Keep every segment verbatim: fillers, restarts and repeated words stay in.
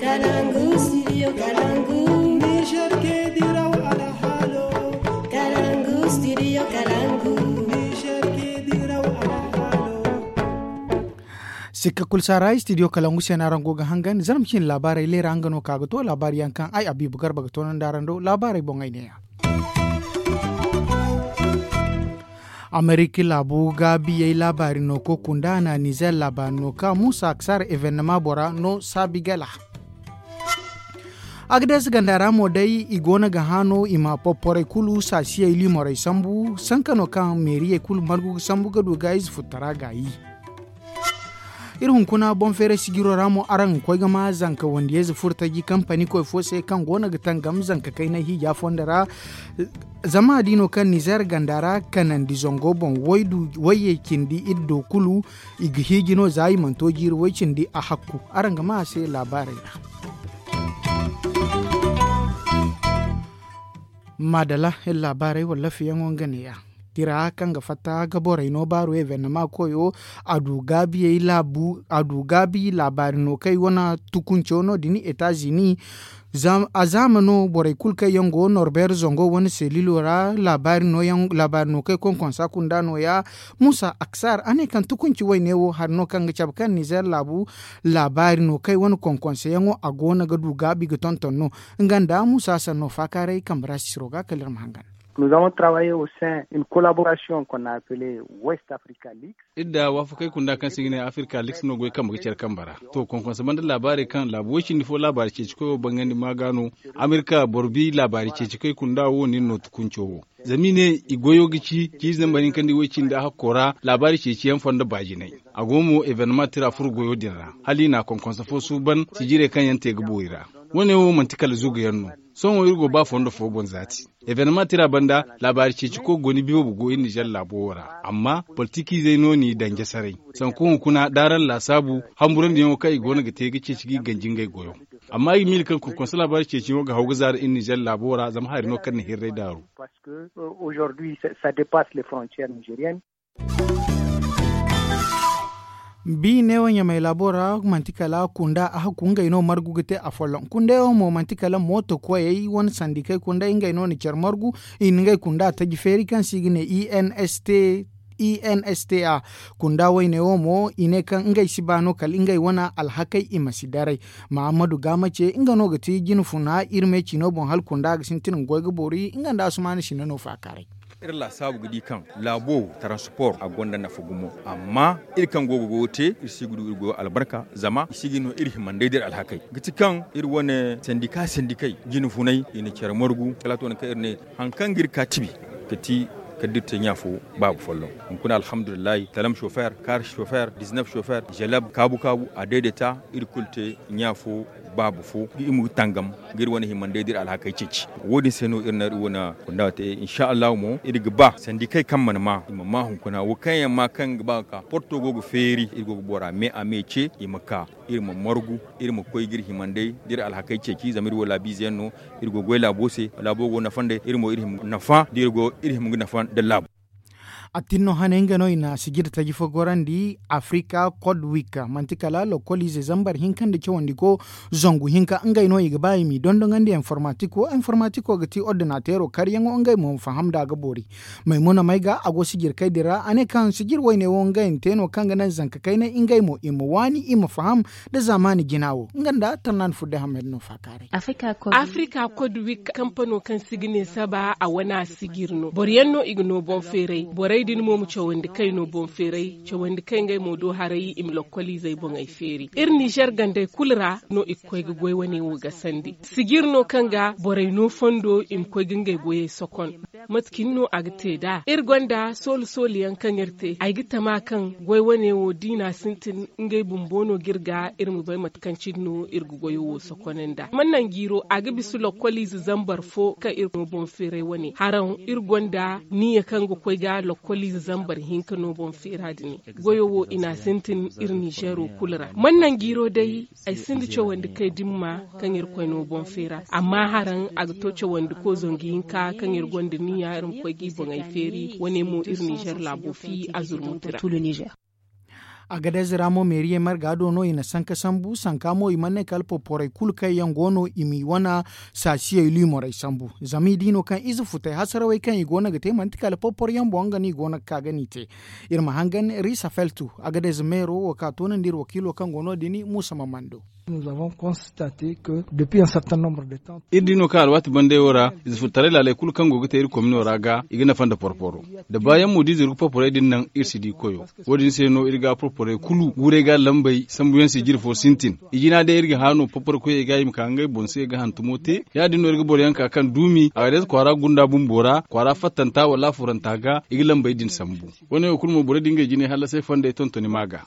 Kalangu, studio Kalangu. Niger ke diraw alhalo. Kalangu, studio Kalangu. Niger ke diraw alhalo. Sikka kulu saara, studio Kalangu se no araŋ go ga hangan. Zarma ciine laabaarey leera nga no ka ga to laabaari yaŋ kaŋ ay Abibu Garba ga toonandi araŋ do laabaarey boŋ ay neeya. Amerika laabu gaabiyey laabaari no ka kunda a na Nizer laabaari no ka Musa Aksar evennema bora no saabi gala. Agades ganda ra mo day i go no ga hã no i ma popporey kulu saasiyey liimorey sambu sanka no kaŋ meeriyey kulu margu ga sambu ga du ga ize futtara gaayi. Iri hunkuna boŋ feeray sijiro ra mo araŋ ga koy ga ma zanka wandiyayze furo taji kampani koy fo se kaŋ go no ga tangam zanka kaynay hiija fondo ra. Zama da i no kaŋ nizer ganda ra kanandi zango boŋ wayyey cindi iri do kulu i ga hiiji no za i mana to jiiri way cindi a hakku. Araŋ ga ma a se laabaarey ra. Maadala iri laabaarey wala lafiyaŋo nga neeya. Tira kaŋ ga fatta ga borey no baaru evennema koyo a du gaabi laabaari no kaŋ i wane tukunco no- din etazini. A zaama no borey kulu kaŋ yaŋ go norbeer zango wane selilo ra laabaari no kaŋ konkonsa kunda nooya. Musa aksar a ne kaŋ tukunci wayne wo hari no kaŋ ga cabe kaŋ nizer laabu laabaari no kaŋ i wane konkonsayaŋo a go no ga du gaabi ga tonton no. Nga nda musa sanno faakaaray kambe ra sisiro ga kala iri ma hangan. Nous avons travaillé au sein une collaboration qu'on a appelée west africa league. Iri da waafakey kunda kaŋ se i ga ne africa league no goy kambe ga care kambe ra. To konkonsa banda laabaarey kaŋ laabu way cindi fo laabaari ceeci koy wo bangandi ma ga no. Amerika boro bi laabaari ceeci koy kunda wo nin no tukunco wo. Zama i ne i goyo ga ci ciize nda bari hinka nda i way cindi a hakko ra laabaari ceeci yaŋ fondo baajinay. A go mo evennema tira furo goyo din ra hala i na konkonsa fo suuban sijirey kaŋ yaŋ te ga boori ra. Wo- ne wo manti kala zuga yaŋ no. Sohõ iri go ba fondo fo boŋ zaati. Evennema tira banda laabaari ceeci koy go ni biyo ga go iri nizer laabo wo ra amma politikiizey no n'i daŋ jasaray. Sanku hunkuna da araŋ laasaabu hamburandiyaŋo kaŋ i go no ga te ga ceeci ga i ganji ngey goyo. Amma ay ga miila kaŋ konkonsa laabaari ceeciyaŋo ga haw ga zaara iri nizer laabo ra zama hari no kaŋ na hirray daaru. Parce que aujourd'hui ça dépasse les frontières nigériennes. Bi neewo ɲamay laabo ra manti kala kunda a hakku ngey no margu ga te afolloŋ kunda yaŋ mo manti kala mooto koyey wane sandikey kunda ngey no na care margu. I na ngey kunda taji feeri kaŋ se i ga ne i n s t i n s t a. Kunda wayne wo mo i ne kaŋ ngey si ba no kala ngey wane alhakey i ma si daray. Mahammadu gaama ce nga no ga ti jine funa iri me ciino boŋ hala kunda ga sintin ga goy ga boori nga nda asumaana sina no faakaaray. Iri laasaabu ga di kaŋ laabo taransipor a gonda nafa gumo. Amma iri kaŋ go ga goyo te iri si ga du iri goyo albarka zama i si ga no iri himandey da iri alhakey ga ti kaŋ iri wane sandika sandikey jine funay i na care margu kala a to nangu kaŋ iri ne. Hari kaŋ ga iri ka tibi ga ti kala da iri te ɲa fo baaba folloŋ. Hunkuna alhamdulillahi talam sofer kar sofer diznaf sofer zeleb kaabu kaabu a dayday ta iri kulu te ɲa fo baaba fo ga i ma ga tangam ga iri wane himandey da iri alhakey ceeci. Wo- din se no iri na iri wane kunda te insa allahu mo iri ga ba sandikey kaŋ mana ma i ma ma hunkuna wo kaŋ yaŋ ma kaŋ ga ba ga ka porto go ga feeri iri go ga bora me a me ce i ma ka iri ma margu iri ma koy ga iri himandey da iri alhakey ceeci zama iri wo laabiize yaŋ no. Iri go ga goy laabo se laabo go nafa nd'ey iri mo iri hima ga nafa da iri go iri hima ga nafa nda laabo. Attin no hane nga no i na sijir taji fo gorandi africa code week manti kala lokoliize zambar hinka nda cawandi ko. Zangu hinka ngey no i ga ba i m'i dondonandi informatiko informatiko ga ti ordinateero karyaŋo ngey mo ma faham da a ga boori. Maymuna may ga a go sijir kay din ra a ne kaŋ sijir wayne wo ngey na te no kaŋ ga naŋ zanka kaynay ngey mo i ma waani i ma faham nda zaamaani jina wo nga nda tarnaani fudde hammad no faakaaray. Africa code week kampano kaŋ se i ga ne saba a wane a sijir no boro yaŋ no i ga no boŋ feeray borey din mo ma cawandi kay no boŋ feeray cawandi kay ngey mo do haray i ma lokkoliizey boŋey feeri iri nizer gandey kulu ra no i ga koy ga goy wane wo gasandi sijir no kaŋ ga borey no fondo i ma koy ga ngey goyey sokon. Mate cine no a ga te nd'a iri gonda soolu soolu yaŋ kaŋ iri te ay ga tama kaŋ goy wane wo da i n'a sintin ngey bumbo no ga iri ga iri ma bay mate kaŋ cine no iri ga goyo wo sokon nd'a man naŋ jiiro a ga bisa lokkoliize zambar fo kaŋ iri no boŋ feeray wane haraŋ iri gonda niya kaŋ ga koy ga lokkoliize zambar hinka no boŋ feera din. Goyo wo i n'a sintin iri nizeero kulu ra man naŋ jiiro day. Ay sinda cawandi kay dimma kaŋ iri koy no boŋ feera amma haraŋ a ga to cawandi ko zangu hinka kaŋ iri gonda niya iri ma koy ga i boŋey feeri wane mo iri nizer laabo fi a zurmuti ra. Agadez ra mo meeriyey marga do no i na sanka sambu sanka mo i mana ne kala porporey kulu kaŋ yaŋ go no i m'i wane saasiyey luumorey sambu. Zama i di no kaŋ ize futey hasarawey kaŋ i go no ga te manti kala porpor yaŋ boŋ nga no i go no ga ka ga n'i te. Iri ma hangan risa feltu, agadez meero wo ka toonandi iri wakiilo kaŋ go no- din muusa ma mando. Iri di no kaŋ alwaati bandey wo ra, ize futtaray laaley kulu kaŋ go ga te iri komino ra ga i ga nafa nda porporo. Da baayaŋ mo da ize iri ga porporey din naŋ iri si di koyo. Wo- din se no iri ga porporey kulu guuray ga lambey sambuyaŋ se jire fo sintin. I jina day iri ga hã no porporo koyey ga i ma ka ngey boŋ se ga hantumo te. Ya- din no iri ga boroyaŋ ka kaŋ duumi a ga day kwaara gunda bumbo ra kwaara fattanta wala afuranta ga i ga lambey din sambu. Wo- ne wo kulu mo borey din ga i jinay hallasay fondey tontoni ma ga.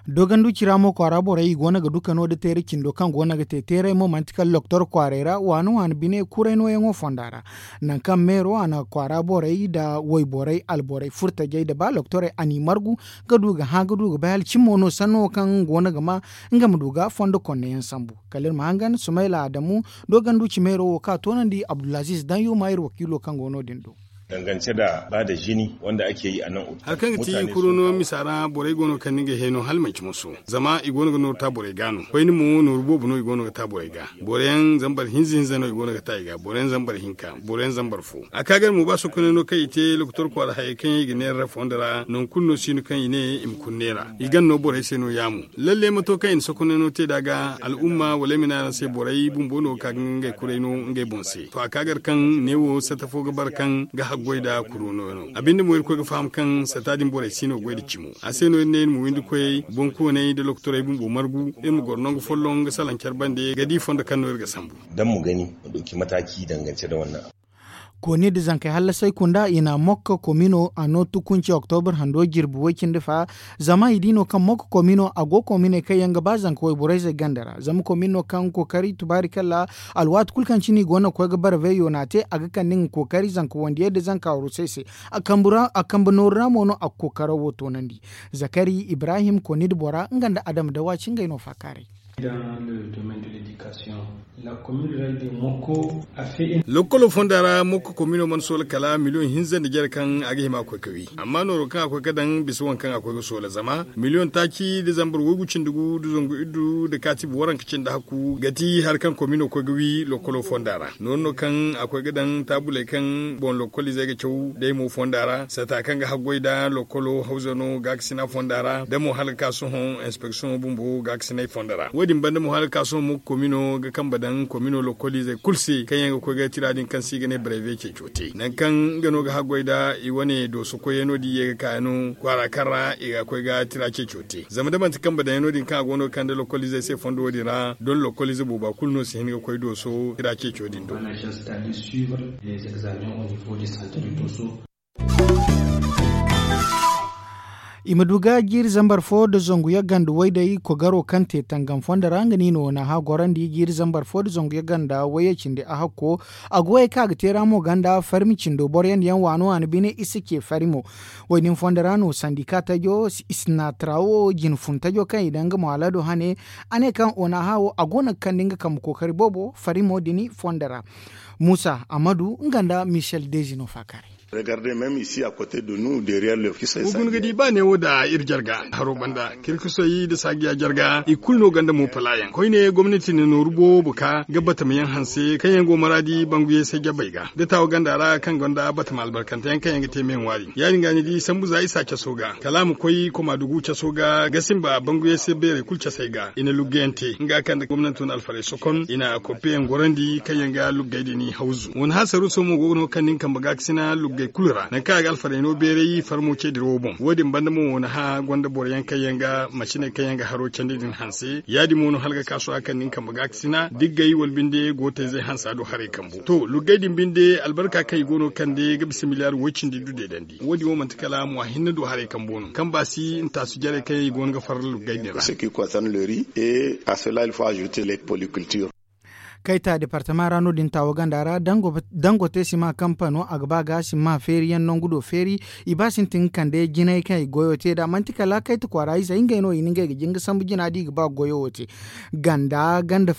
Doganduci ra mo kwaara borey i go no ga du kano nda teeray cindo kaŋ go no ga te teeray mo manti kala loktor kwaaray ra waani waani bine kuray nooyaŋo fonda ra. Nangu kaŋ meero a na kwaara borey nda wayborey alborey furtajey nda ba loktorey a n'i margu ga du ga hã ga du ga bay hala cimi mo no sanno wo kaŋ nga go no ga ma nga ma du ga fondo konneyaŋ sambu. Kala iri ma hangan sumayla adamu doganduci meero wo kaŋ a toonandi abdulaziiz daŋ yuuma iri wakiilo kaŋ go no- din do. Hari kaŋ ga ti kuruno misa ra borey go no ga kande ngey heno hala manci moso. Zama i go no ga nooru ta borey ga no koyne mo nooru boobo no i go no ga ta borey ga. Boroyaŋ zambar hinza hinza no i go no ga ta i ga boroyaŋ zambar hinka boroyaŋ zambar fo. A ka gar mo ba sokoney no kaŋ i te lokotor kwaara hayey kaŋ yaŋ i ga neera fondo ra nangu kulu no si no kaŋ i ne i ma kulu neera i gan no borey se no- ya mo. Lalle mato kaŋ i na sokoney no te nd'a ga al'umma wala ay ma ne araŋ se borey bumbo no ga ka ga ngey kuray no ngey boŋ se to a ka gar kaŋ neewo sata fo ga bara kaŋ ga haggoy nda kuro no no a binde mo iri koy ga faham kaŋ sata din borey si no goy nda cimo. A se no iri ne iri ma windi koyey boŋkooney nda lokotorey bumbo margu iri ma goro nangu folloŋ ga salaŋ care bande ga di fondo kaŋ no iri ga sambu. Kooni nda zankey hallasay kunda i na mokka komino a no tukunci oktobur hando jirbi way-cindi fa. Zama i di no kaŋ mokka komino a go kominey kaŋ yaŋ ga ba zanka wayborey zey ganda ra zama komino kaŋ kookari tubaari kala alwaati kulu kaŋ cine i go no ga koy ga bara veyo no a te a ga kande nga kookari zanka wandiyey nda zanka warusey se. A kambe nooru ra mo no a ga kookaro wo toonandi. Zakari ibrahim kooni nda bora nga nda adama dawa ci ngey no faakaaray. Lokolo fonda ra mokko komino mana soola kala miliyoŋ hinza nda jare kaŋ a ga hima a koy ga wi amma nooro kaŋ a koy ga daŋ bisa waŋ kaŋ a koy ga soola zama miliyoŋ taaci nda zambar waygu cindi gu nda zangu iddu nda kaatibi waranka cindi hakku ga ti hari kaŋ komino koy ga wi lokolo fonda ra. Noori no kaŋ a koy ga daŋ taabuley kaŋ boŋ lokoliizey ga caw day mo fonda ra sata kaŋ ga haggoy nda lokolo hawza no gaakasina fonda ra da mo hala ga ka sohõ inspeksiyoŋo bumbo gaakasinay fonda ra wo- din banda mo hala ga ka sohõ mo ga komino ga kambe daŋ komino lokoliizey kulu se kaŋ yaŋ ga koy ga tira din kaŋ se i ga ne baraybe ceeco te nangu kaŋ nga no ga haggoy nda i wane dooso koyyaŋ no da i ye ga ka yaŋ no kwaara kaŋ ra i ga koy ga tira ceeco te zama da manti kambe daŋ yaŋ no- din kaŋ a go no ga kande lokoliizey se fondo wo- din ra don lokoliize booba kulu no si hin ga koy dooso tira ceeco din do. I ma du ga jiiri zambar fo nda zangu yagga nda wayday kogaro kaŋ te tangam fondo ra nga no i na wane hã gorandi jiiri zambar fo nda zangu yagga nda wayye cindi a hakko. A go ye kaŋ a ga te ra mo ganda farmi cindo boro yaŋ da yaŋ waano waani bine i si ce farimo. Waynin fondo ra no sandika tajo i si na tarawo jine fun tajo kaŋ i daŋ nga mo alado hane. A ne kaŋ wane hã wo a go no ga kande nga kambe kookari boobo farimo din fondo ra. Muusa ammadu nga nda michel dezi no faakaaray. Wa guna ga di ba neewo nda iri jarga haro banda kirkisoy nda saajiya jarga i kulu no gonda mo palaayaŋ koyne gomnati na nooru boobo ka ga batamayaŋ hanse kaŋ yaŋ go maraadi banguyey se jabey ga da taawa ganda ra kaŋ gonda batama albarkanteyaŋ kaŋ yaŋ ga te me ŋwaari ya- din ga ni di sambu za isa caso ga kala a ma koy komaadugu caso ga ga simba banguyey se beerey kulu casey ga i na luggeyaŋ te nga kaŋ nda gomnanto na alfarey sokon i na koppeyaŋ gorandi kaŋ yaŋ ga luggey din hawzu wane hã saruuso mo go no kaŋ nin kambe gaakasina luggey kulu ra nangu kaŋ a ga alfarey no beeray farmo ce dirawo boŋ wo- din banda mo wane hã gonda boro yaŋ kaŋ yaŋ ga maciney kaŋ yaŋ ga haro candi din hanse ya- din mo no hala ga ka sohã kaŋ nin kambe gaakasina diggey wala binde gootayzey hansa do haray kambo to luggey din binde albarka kaŋ i go no ga kande ga bisa miliyaar woy cindi du deedandi wo- din wo manti kala mwa hinne do haray kambo no kaŋ ba si ntaasu jarey kaŋ yaŋ i go no ga farra luggey din ra. Et à cela il faut ajouter les polycultures. Kayta departama ra no- din taawo ganda ra, dangote sima kampano a ga ba ga sima feeri yaŋ nangu do feeri. I ba sintin ga kande jinay kaŋ i goyo te nd'a manti kala kayta kwaara izey ngey no i na ngey ga jin ga sambu jina da i ga ba goyo wo te. Ganda ganda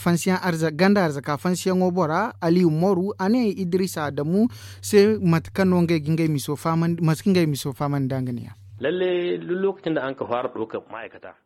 arzaka fansiyaŋo bora aliyu moru a ne idris adamu se mate kaŋ no ngey ga ngey miso faamandi nda nga ne ya.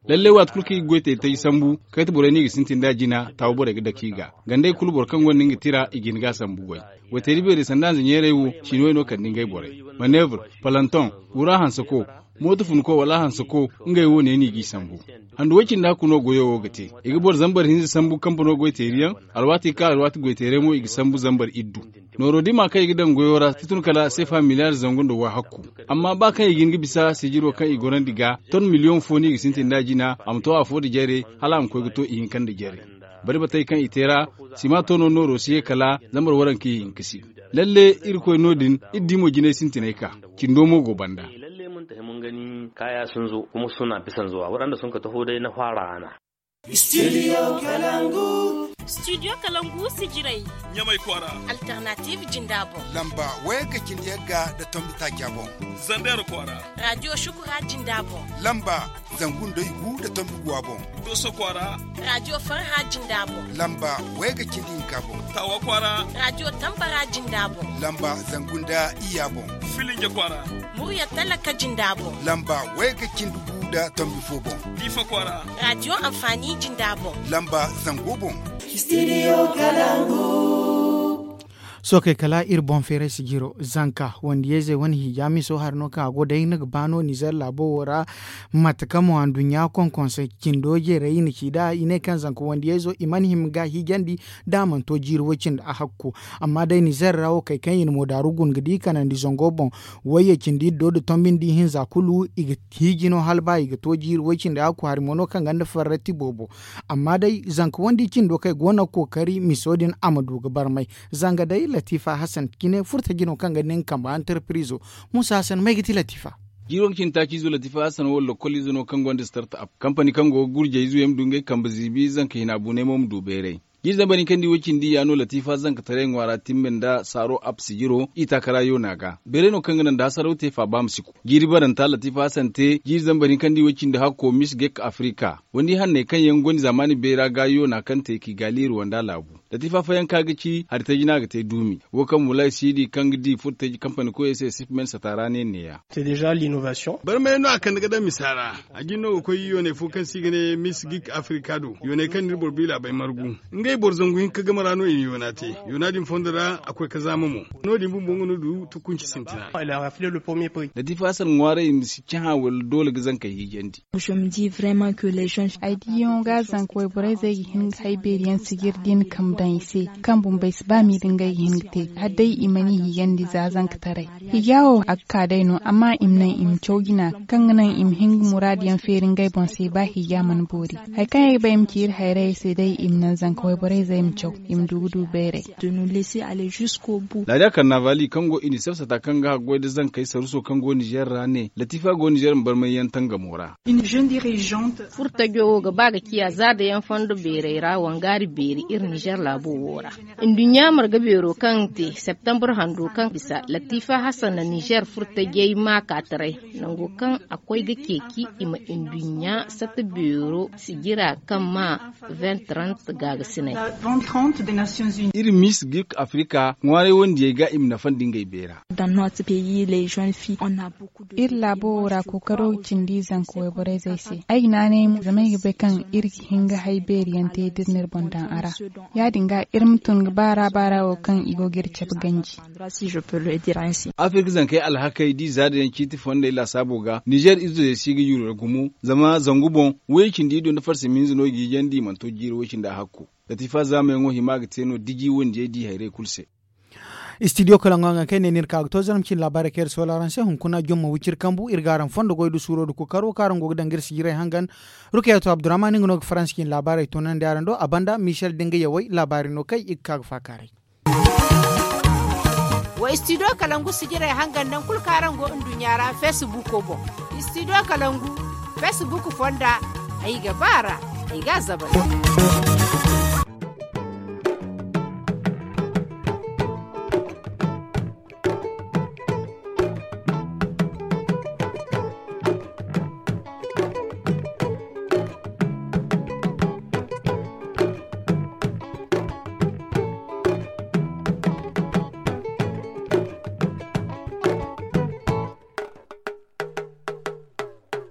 Lalle waati kulu kaŋ i ga goy te taji sambu kayta borey no i ga sintin nd'a jina taawo borey ga dake i ga gandey kulu boro kaŋ gonda nga tira i ga hin ga a sambu goy. Wayteeri beerey sanda hanza ɲeerey wo ciini way no kande ngey borey. Maneevre, palantoŋ, wura hansako, mooto funko wala hansako, ngey wo ne no i g'i sambu. Handu way cindi hakku no goyo wo ga te. I ga boro zambar hinza sambu kampano goyteeri yaŋ. Alwaati kaŋ alwaati goyteerey mo i ga sambu zambar iddu. Nooro dima kaŋ i ga daŋ goyo ra si tun kala seefa miliyaari zangu nda wa hakku. Amma ba kaŋ i ga hin ga bisa sijiro kaŋ i gorandi ga ton miliyoŋ fo no i ga sintin nd'a jina a ma to afo nda jare, hala a ma koy ga to ihinka nda jare. Bari batey kaŋ i te ra, sima to no nooro si ye kala zambar waranka ihinka si. Lalle, irkoy no- din iri di mo jinay sintinay ka cindo mo go banda. Lalle mun tahi mun gani kaya sinzo kuma suna bisanzo a waɗanda sun ka taho day na fara ana. Studio kalangu. Studio kalangu sijirai. Ɲamai kwara. Alternative jindabo. Lamba waya ga cindi yagga da tombi takiya bon. Zander kwara. Radio shukura jindabo. Lamba zangu nda igu da tombi guwa bon. Doso kwara. Radio farha jindabo. Lamba waya ga cindi hinka bon. Tawa kwara. Radio tambara jindabo. Lamba zangu nda iya bon. Filinge kwara. Murya talaka jindabo. Lamba waya ga cindi gu da tombi fo bon. Difa kwara. Radio amfani jindabo. Lamba zango bon. Studio kalangu. Sookey kala iri boŋ feeray sijiro zanka wandiyayzey wane hiija miso hari no kaŋ a go day ni ga ba no nizer laabo wo ra. Mate kaŋ mo anduɲɲa konkonse cindo jeeray i na ci nd'a i ne kaŋ zanka wandiyayzo i mana hima ga hiijandi da a mana to jiiri way cindi a hakku. Amma day nizer ra wo kay kaŋ i na moodaaru guna ga di kanandi zango boŋ wayye cindi iddo nda tombi nda ihinza kulu i ga hiiji no hala ba i ga to jiiri way cindi a hakku hari mo no kaŋ gonda farrati boobo. Amma day zanka wandi cindo kaŋ ay go no ga kookari miso din a ma du ga barmay. Zanga day latifa hasan cine furtaji no kaŋ ga nin kamba antarpirizo. Musa hasan may ga ti latifa? Jiiri waŋ ga cine taaci izo latifa hasan wo lokkol ize no kaŋ gonda starta ap kampani kaŋ go ga gurjay izo yaŋ ma du ngey kambe ziibi zanka hina bunay mo ma du bayray. Jiiri zambar hinka nda i way cindi ya no latifa zankataray ŋwaara timbe nda saaro ap sijiro i taakara yoona ga bayray no kaŋ ga naŋ da hasaraw te faaba ma si ku. Jiiri baranta latifa hasan te jiiri zambar hinka nda i way cindi hakko mis gek afrika. Wandi hanney kaŋ yaŋ gonda zaamaani bayra ga yoona kaŋ te kigali ruwanda laabu. Latifa fayanka ga ci hari taji no a ga te duumi. Wo kaŋ mulaay siidi kaŋ ga di furtaji kampani koyey se sipmen sata ra ne neeya. Barmay no a kande ga daŋ misa ra. A jin no ga koy yoonay fo kaŋ se i ga ne mis gik afrika do yoonay kaŋ no iri boro biila bay margu. Ngey boro zangu hinka game ra no i na yoona te. Yoona din fondo ra a koy ga zaama mo. No- din bumbo nga no du tukunci sintina. Latifa hasan ŋwaaray i ma si cahã wala doole ga zankey hiijandi. Ay diyaŋo ga zanka wayborey zey ga hin ga hay beeri yaŋ sijir din kambe daŋ i se kaŋ bumbey si ba miiri ngey ga hin ga te hala day i mana i hiijandi za zankataray. Hiija wo a ga ka day no amma i ma naŋ i ma caw jina kaŋ ga naŋ i ma hin ga muraadu yaŋ feeri ngey boŋ se ba hiija mana boori. Hari kaŋ ay ga ba ay ma ci iri hayrayey se day i ma naŋ zanka wayborey zey ma caw i ma du ga du bayray. Laadiya karnavali kaŋ go inisef sata kaŋ ga haggoy nda zankey saruso kaŋ go nizer ra ne latifa go nizer ma barmay yaŋ tangamo ra. Furtajo wo ga ba ga ciya za da yaŋ fondo beerey ra wangaari beeri iri nizer laabo wo ra. Nduɲɲa marga beero kaŋ te septambur hando kaŋ bisa latifa hasan na nizer furtajey maakaataray nango kaŋ a koy ga ceeci i ma nduɲɲa sata beero sijira kaŋ ma vingt trente gaagasinay. Iri mis gik afrika ŋwaaray wandiyey ga i ma nafandi ngey beera. Iri laabo wo ra kookaro ga cindi zanka wayborey zey se ay ga naanay mo zama ay ga bay kaŋ iri ga hin ga hay beeri yaŋ te da iri na iri boŋ daŋ a ra. Ya- din ga iri ma tun ga baara baara wo kaŋ i go ga iri cabe ganji. Afirka zankey alhakey da i zaada yaŋ ciiti fondey laasaabo ga nizer izuzey si ga yuru ra gumo. Zama zangu boŋ way cindi iddu nda farsi ma hinza no i ga hiijandi i mana to jiiri way cindi a hakku. Latifa zaamayaŋo hima ga te no diji wandiyey da i hayrey kulu se. Istidiyo kala ŋwa nga kay ne ni iri ka ga to zarma cine laabaarey kaŋ iri soola araŋ se hunkuna jomma wiciri kambu iri ga araŋ fondo goy da suuro da kookaro kaŋ araŋ go ga daŋ ga iri sijirey hangan. Rukayatu abdurahman nga no ga faransi cine laabaarey toonandi araŋ do a banda michel da nga yawey laabaarey no kay i ga ka ga faakaaray. Wa istidiyo kalangu sijirey hangan naŋ kulu kaŋ araŋ go nduɲɲa ra feesibuuko boŋ. Istidiyo kalangu feesibuuk fonda ay ga ba a ra ay ga a zabari.